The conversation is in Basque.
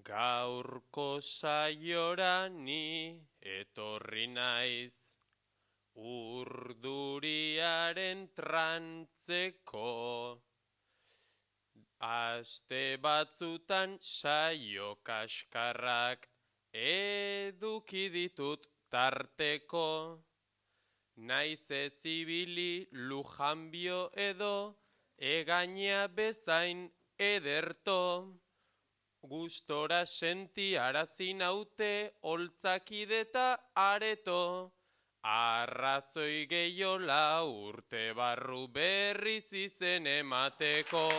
Gaurko saiora ni etorri naiz, urduriaren trantzeko. Aste batzutan saio kaskarrak eduki ditut tarteko. Naiz ez ibili lujanbio edo egaina bezain ederto. Gustora sentiarazi naute holtzakide eta areto. Arrazoi gehiola urte barru berriz izen emateko.